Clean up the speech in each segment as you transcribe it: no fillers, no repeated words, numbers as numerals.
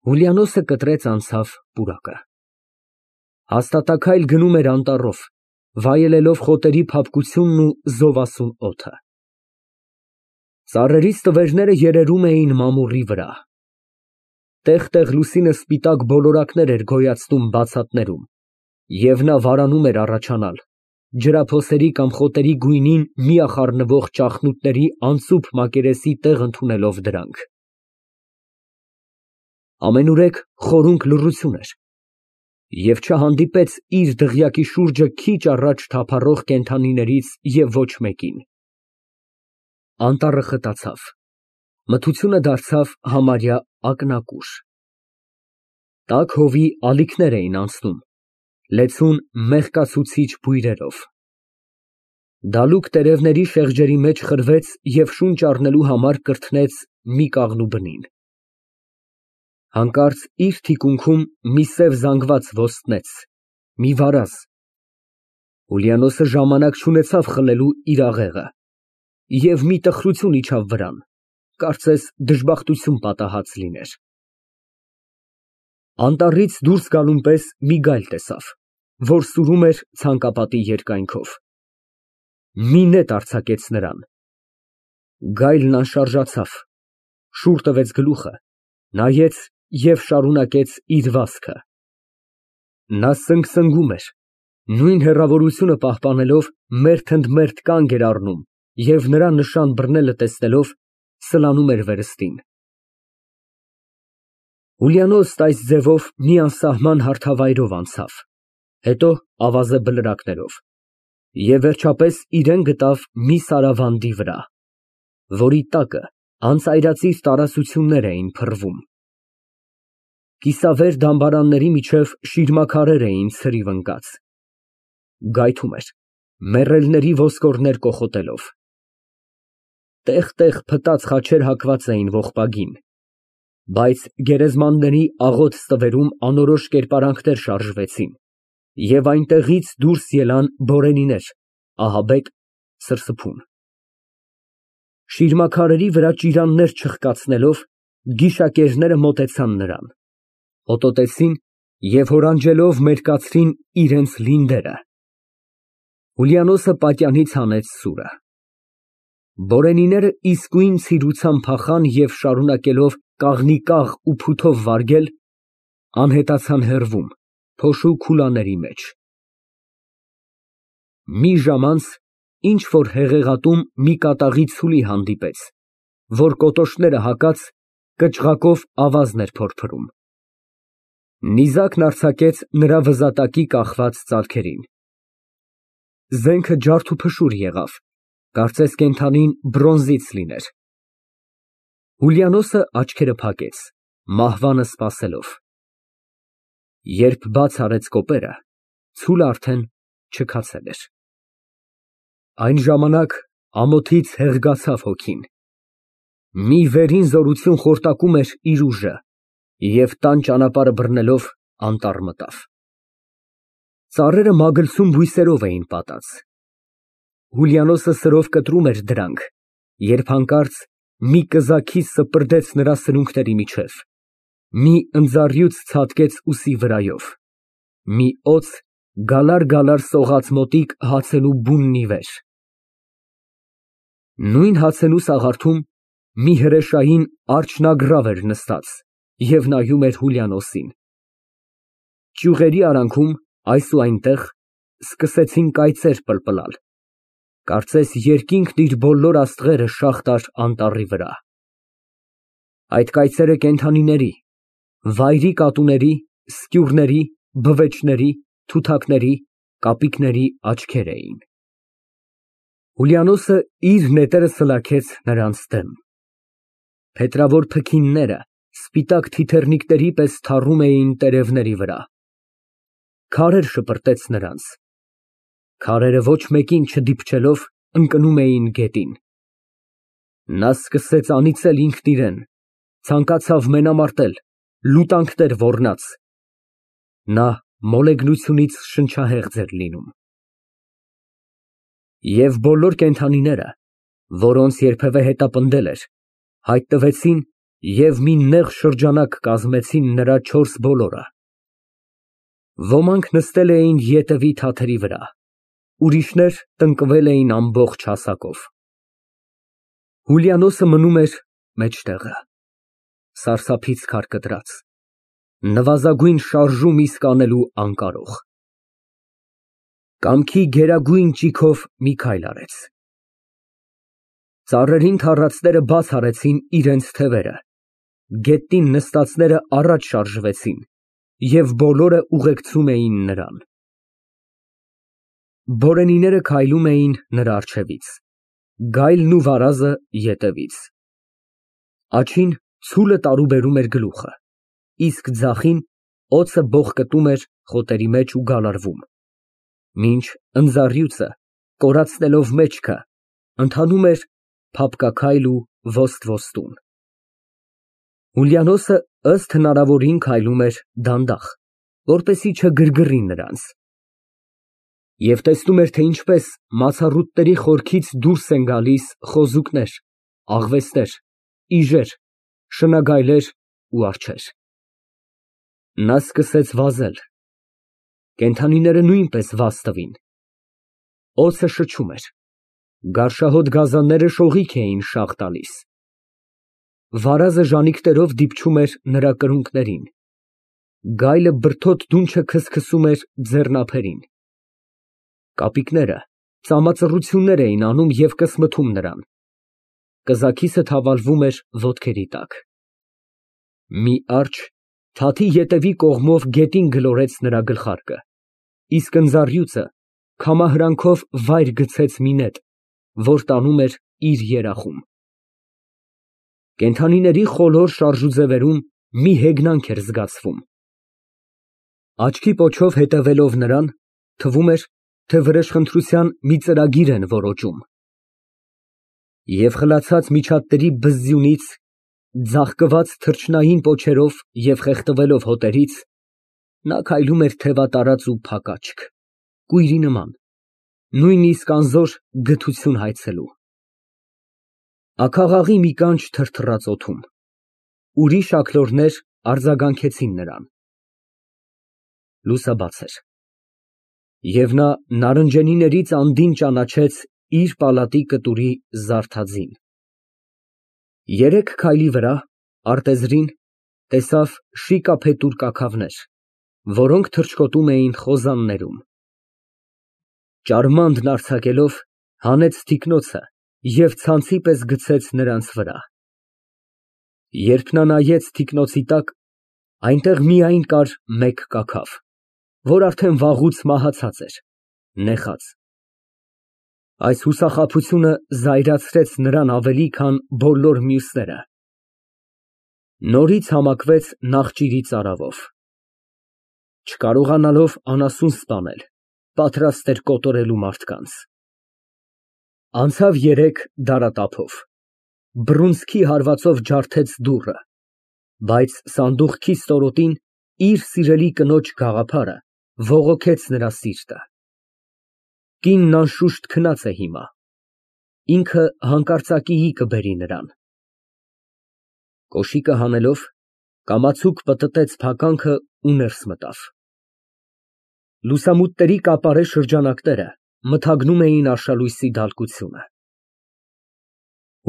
Հուլիանոսը կտրեց անցավ պուրակը։ Հաստատաքայլ գնում էր անտառով, վայելելով խոտերի փափկությունն ու զովասուն օդը։ Ծառերից տվերները երերում էին մամուռի վրա։ Տեղ֊տեղ լուսինը սպիտակ բոլորակներ էր գոյացնում բացատներում, և նա վարանում էր առաջանալ, ջրափոսերի կամ խոտերի գույնին միախառնվող ճախնուտների անծուփ մակերեսի տեղ ընդունելով դրանք։ Ամենուրեք խորունկ լռություն էր, և չհանդիպեց իր դղյակի շուրջը քիչ առաջ թափառող կենդանիներից և ոչ մեկին։ Անտառը խտացավ, մթությունը դարձավ համարյա ակնակուշ։ Տաք հովի ալիքներ էին անցնում, լեցուն մեղկացուցիչ բույրերով։ Դալուկ տերևների շեղջերի մեջ խրվեց և շունչ առնելու համար կրթնեց մի կաղնու բնին։ Հանկարծ իր թիկունքում մի սև զանգված ոստնեց, մի վարազ։ Հուլիանոսը ժամանակ չունեցավ խլելու իր աղեղը, և մի տխրություն իջավ վրան, կարծես դժբախտություն պատահած լիներ։ Անտառից դուրս գալուն պես մի գայլ տեսավ, որ սուրում էր ցանկապատի երկայնքով։ Մի նետ արձակեց նրան։ Գայլն անշարժացավ, շուռ տվեց գլուխը, նայեց և շարունակեց իր վազքը։ Նա սնգսնգում էր, նույն հեռավորությունը պահպանելով, մերթ ընդ մերթ կանգ էր առնում և նրա նշան բռնելը տեսնելով, սլանում էր վերստին։ Հուլիանոսն այս ձևով մի անսահման հարթավայրով անցավ, հետո ավազե բլրակներով և վերջապես իրան գտավ մի սարավանդի վրա, որի տակը անծայրածիր տարածություններ էին փռվում։ Կիսավեր դամբարանների միջև շիրմաքարեր էին ցրիվ ընկած։ Գայթում էր, մեռելների ոսկորներ կոխոտելով։ Տեղ֊տեղ փտած խաչեր հակված էին ողբագին, բայց գերեզմանների աղոտ ստվերում անորոշ կերպարանքներ շարժվեցին, և այնտեղից դուրս ելան բորենիներ, ահաբեկ, սրսփուն։ Շիրմաքարերի վրա ճիրաններ չխկացնելով, գիշակերները մոտեցան նրան, հոտոտեցին և հորանջելով մերկացրին իրենց լինդերը։ Հուլիանոսը պատյանից հանեց սուրը։ Բորենիները իսկույն ցիրուցան փախան և շարունակելով կաղնի կաղ ու փութով վարգել, անհետացան հեռվում, փոշու քուլաների մեջ։ Մի ժամ անց ինչ֊որ հեղեղատուն մի կատաղի ցուլի հանդիպեց, որ կոտոշները հակած, կչղակով ավազն էր փորփրում։ Նիզակն արձակեց նրա վզատակի կախված ծալքերին։ Զենքը ջարդուփշուր եղավ, կարծես կենդանին բրոնզից լիներ։ Հուլիանոսը աչքերը փակեց, մահվանը սպասելով։ Երբ բաց արեց կոպերը, ցուլը արդեն չքացել էր։ Այն ժամանակ ամոթից հեղգացավ հոգին։ Մի վերին զորություն խորտակում էր իր ուժը և տան ճանապարհը բռնելով անտառ մտավ։ Ծառերը մագլցում բույսերով էին պատած։ Հուլիանոսը սրով կտրում էր դրանք, երբ հանկարծ մի կզաքի սպրդեց նրա սրունքների միջև, մի ընձառյուծ ցատկեց ուսի վրայով, մի օձ գալար֊գալար սողաց մոտիկ հացենու բունն ի վեր։ Նույն հացենու սաղարթում մի հրեշային արջնագռավ էր նստած և նայում էր Հուլիանոսին։ Ճյուղերի արանքում, այս ու այնտեղ, սկսեցին կայծեր պլպլալ, կարծես երկինքն իր բոլոր աստղերը շաղ տար անտառի վրա։ Այդ կայծերը կենդանիների, վայրի կատուների, սկյուռների, բվեճների, թութակների, կապիկների աչքեր էին։ Հուլիանոսը իր նետերը սլաքեց նրանց դեմ։ Փետրավոր փքինները սպիտակ թիթեռնիկների պես թառում էին տերևների վրա։ Քարեր շպրտեց նրանց։ Քարերը ոչ մեկին չդիպչելով, ընկնում էին գետին։ Նա սկսեց անիծել ինքն իրան, ցանկացավ մենամարտել, լուտանքներ ոռնաց։ Նա մոլեգնությունից շնչահեղձ էր լինում։ Եվ բոլոր կենդանիները, որոնց երբևէ հետապնդել էր, հայտնվեցին և մի նեղ շրջանակ կազմեցին նրա 4 բոլորը։ Ոմանք նստել էին ետևի թաթերի վրա, ուրիշներ տնկվել էին ամբողջ հասակով։ Հուլիանոսը մնում էր մեջտեղը, սարսափից քարկդրած, նվազագույն շարժում իսկ անելու անկարող։ Կամքի գերագույն ճիգով մի քայլ արեց։ Ծառերին թառածները բաց արեցին իրենց թևերը, գետնին նստածները առաջ շարժվեցին և բոլորը ուղեկցում էին նրան։ Բորենիները քայլում էին նրա առջևից, գայլն ու վարազը ետևից։ Աջին ցուլը տարուբերում էր գլուխը, իսկ ձախին օձը բողկտում էր խոտերի մեջ ու գալարվում, մինչ ընձառյուծը, կորացնելով մեջքը, ընթանում էր փափկաքայլ ու ոստ֊ոստուն։ Հուլիանոսը ըստ հնարավորին քայլում էր դանդաղ, որպեսզի չգրգռի նրանց, և տեսնում էր, թե ինչպես մացառուտների խորքից դուրս են գալիս խոզուկներ, աղվեսներ, իժեր, շնագայլեր ու արջեր։ Նա սկսեց վազել, կենդանիները նույնպես վազ տվին։ Օձը շչում էր, գարշահոտ գազանները շողիք էին շաղ տալիս։ Վարազը ժանիքներով դիպչում էր նրա կրունկներին, գայլը բրդոտ դունչը քսքսում էր ձեռնափերին։ Կապիկները ծամածռություններ էին անում և կսմթում նրան, կզաքիսը թավալվում էր ոտքերի տակ։ Մի արջը թաթի ետևի կողմով գետին գլորեց նրա գլխարկը, իսկ ընձառյուծը քամահրանքով վայր գցեց մի նետ, որ տանում էր իր երախում։ Կենդանիների խոլոր շարժուձևերում մի հեգնանք էր զգացվում։ Աչքի պոչով հետևելով նրան, թվում էր, թե վրեժխնդրության մի ծրագիր են որոջում։ Եվ խլացած միջատների բզզյունից, ձաղկված թռչնային պոչերով և խեղդվելով հոտերից, նա քայլում էր թևատարած ու փակաճք, կույրի նման, նույնիսկ անզոր գթություն հայցելու։ Աքաղաղի մի կանչ թրթռաց օդում, ուրիշ աքլորներ արձագանքեցին նրան։ Լուսաբաց էր, և նա նարնջենիներից անդին ճանաչեց իր պալատի կտուրի զարդadzին։ 3 քայլի վրա, արտեզրին, տեսավ շիկափետուր կաքավներ, որոնք թռչկոտում էին խոզաններում։ Ճարմանդն արձակելով, հանեց թիկնոցը և ցանցի պես գցեց նրանց վրա։ Երբ նա նայեց թիկնոցի տակ, այնտեղ միայն կար մեկ կաքավ, որ արդեն վաղուց մահացած էր, նեխած։ Այս հուսախաբությունը զայրացրեց նրան ավելի, քան բոլոր մյուսները։ Նորից համակվեց նախճիրի ծարավով։ Չկարողանալով անասուն սպանել, պատրաստ էր կոտորելու մարդկանց։ Անցավ 3 դարատափով, բռունցքի հարվածով ջարդեց դուռը, բայց սանդուղքի ստորոտին իր սիրելի կնոջ գաղափարը բողոքեց նրա սիրտը։ Կինն անշուշտ քնած է հիմա, ինքը հանկարծակիի կբերի նրան։ Կոշիկը հանելով, կամացուկ պտտեց փականքը ու ներս մտավ։ Լուսամուտների կապարե շրջանակները մթագնում էին արշալույսի դալկությունը։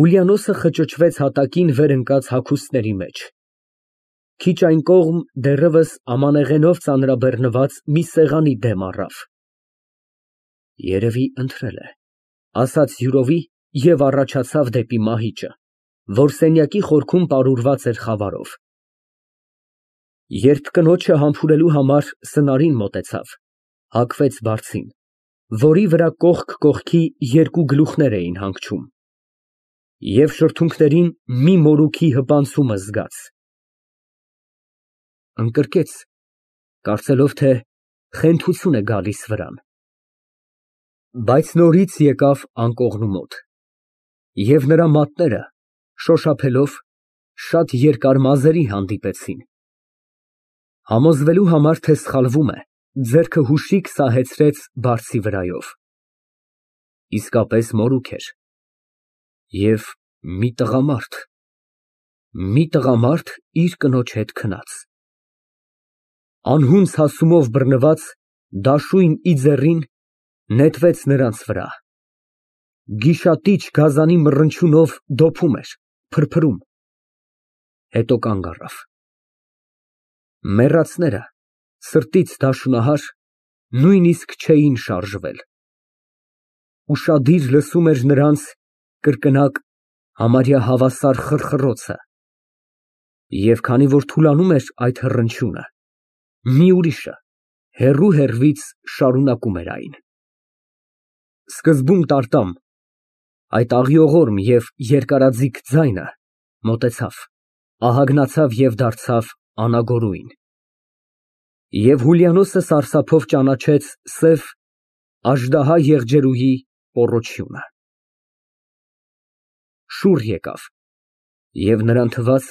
Հուլիանոսը խճճվեց հատակին վեր ընկած հագուստների մեջ։ Քիչ այն կողմ դեռևս ամանեղենով ծանրաբեռնված մի սեղանի դեմ առավ։ Երևի ընթրել է, ասաց յուրովի և առաջացավ դեպի մահիճը, որ սենյակի խորքում պարուրված էր խավարով։ Երբ կնոջը համբուրելու համար սնարին մոտեցավ, հագվեց բարձին, որի վրա կողք կողքի 2 գլուխներ էին հանգչում, և շրթունքներին մի մորուքի հպանցումը զգաց։ Ընկրկեց, կարծելով, թե խենթություն է գալիս վրան։ Բայց նորից եկավ անկողնու մոտ, և նրա մատները, շոշափելով, շատ երկար մազերի հանդիպեցին։ Համոզվելու համար, թե սխալվում է, ձեռքը հուշիկ սահեցրեց բարձի վրայով։ Իսկապես մորուք էր և մի տղամարդ, Մի տղամարդ իր կնոջ հետ քնած։ Անհունձ հասումով բռնված դաշույն ի ձեռին նետվեց նրանց վրա։ Գիշատիչ գազանի մռնչյունով դոփում էր, փրփրում, հետո կանգ առավ։ Մեռածները, սրտից դաշունահար, նույնիսկ չէին շարժվել։ Ուշադիր լսում էր նրանց կրկնակ, համարյա հավասար խռխռոցը, և քանի որ թուլանում էր այդ հռնչյունը, մի ուրիշը հեռու֊հեռվից շարունակում էր այն։ Սկզբում տարտամ, այդ աղիողորմ և երկարաձիգ ձայնը մոտեցավ, ահագնացավ և դարձավ անագորույն։ Եվ Հուլիանոսը սարսափով ճանաչեց սև աժդահա եղջերուի պոռոչյունը։ Շուռ եկավ, և նրան թվաց,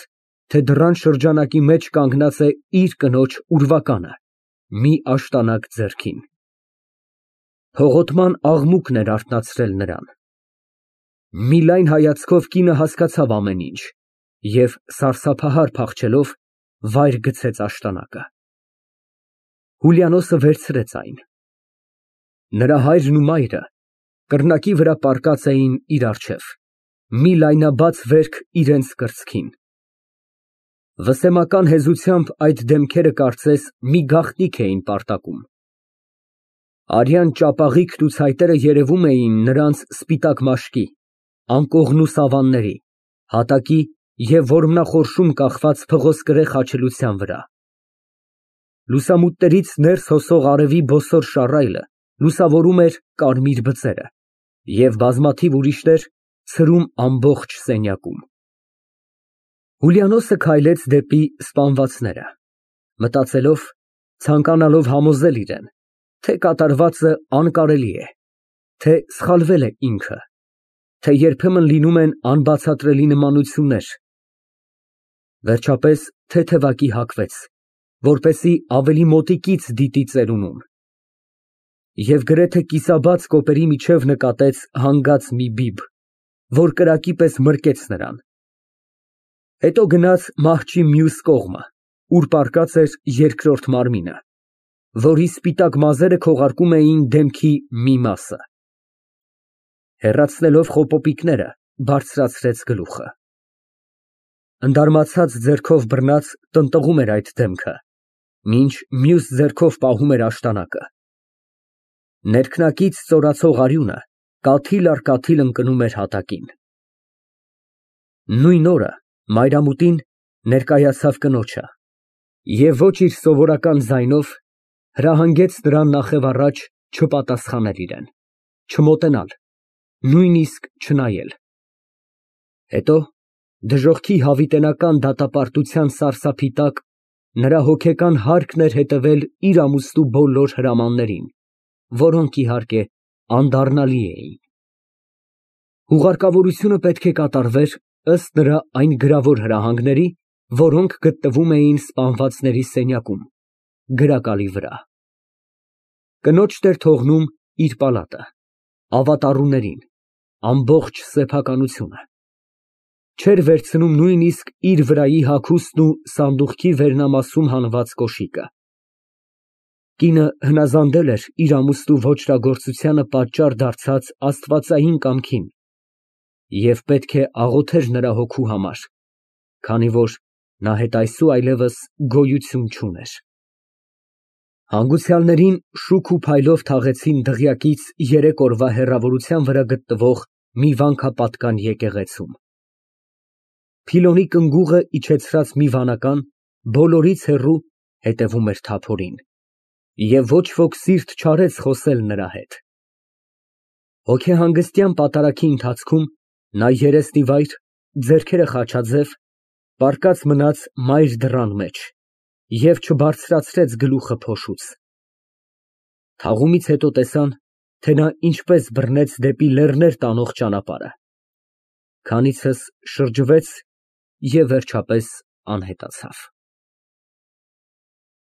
թե դռան շրջանակի մեջ կանգնած է իր կնոջ ուրվականը, մի աշտանակ ձեռքին։ Փողոտման աղմուկն էր արթնացրել նրան։ Մի լայն հայացքով կինը հասկացավ ամեն ինչ և սարսափահար փախչելով վայր գցեց աշտանակը։ Հուլիանոսը վերցրեց այն։ Նրա հայրն ու մայրը կռնակի վրա պառկած էին իր առջև, մի լայնաբաց վերք իրենց կրծքին։ Վսեմական հեզությամբ այդ դեմքերը կարծես մի գաղտնիք էին պարտակում։ Արյան ճապաղիկն ու ցայտերը երևում էին նրանց սպիտակ մաշկի, անկողնու սավանների, հատակի և որմնախորշում կախված փղոսկրե խաչելության վրա։ Լուսամուտներից ներս հոսող արևի բոսոր շառայլը լուսավորում էր կարմիր բծերը և բազմաթիվ ուրիշներ ցրում ամբողջ սենյակում։ Հուլիանոսը քայլեց դեպի սպանվածները, մտածելով, ցանկանալով համոզել իրեն, թե կատարվածը անկարելի է, թե սխալվել է ինքը, թե երբեմն լինում են անբացատրելի նմանություններ։ Վերջապես թեթևակի հագվեց, որպեսզի ավելի մոտիկից դիտի ծերունուն, և գրեթե կիսաբաց կոպերի միջև նկատեց հանգած մի բիբ, որ կրակի պես մրկեց նրան։ Հետո գնաց մահճի մյուս կողմը, ուր պառկած էր երկրորդ մարմինը, որի սպիտակ մազերը քողարկում էին դեմքի մի մասը։ Հեռացնելով խոպոպիկները, բարձրացրեց գլուխը։ Ընդարմացած ձեռքով բռնած տնտղում էր այդ դեմքը, մինչ մյուս ձեռքով պահում էր աշտանակը։ Ներքնակից ծորացող արյունը կաթիլ առ կաթիլ ընկնում էր հատակին։ Նույն օրը մայրամուտին ներկայացավ կնոջը և ոչ իր սովորական ձայնով հրահանգեց նրան նախևառաջ չպատասխանել իրեն, չմոտենալ, նույնիսկ չնայել։ Հետո դժոխքի հավիտենական դատապարտության սարսափի տակ նրա հոգեկան հարկն էր հետևել իր ամուսնու բոլոր հրամաններին, որոնք, իհարկե, անդառնալի էին։ Հուղարկավորությունը պետք է կատարվեր ըստ նրա այն գրավոր հրահանգների, որոնք գտնվում էին սպանվածների սենյակում, գրակալի վրա։ Կնոջն էր թողնում իր պալատը, ավատառուներին, ամբողջ սեփականությունը։ Չէր վերցնում նույնիսկ իր վրայի հագուստն ու սանդուղքի վերնամասում հանված կոշիկը։ Կինը հնազանդել էր իր ամուսնու ոճրագործությանը պատճառ դարձած աստվածային կամքին և պետք է աղոթեր նրա հոգու համար, քանի որ նա հետ այսու այլևս գոյություն չուներ։ Հանգուցյալներին շուք ու փայլով թաղեցին դղյակից 3 օրվա հեռավորության վրա գտնվող մի վանքապատկան եկեղեցում։ Փիլոնի կնգուղը իջեցրած մի վանական բոլորից հեռու հետևում էր թափորին, և ոչ ոք սիրտ չարեց խոսել նրա հետ։ Հոգեհանգստյան պատարագի ընթացքում նա երեսնիվայր, ձեռքերը խաչաձև, պառկած մնաց մայր դռան մեջ և չբարձրացրեց գլուխը փոշուց։ Թաղումից հետո տեսան, թե նա ինչպես բռնեց դեպի լեռներ տանող ճանապարհը, քանիցս շրջվեց և վերջապես անհետացավ։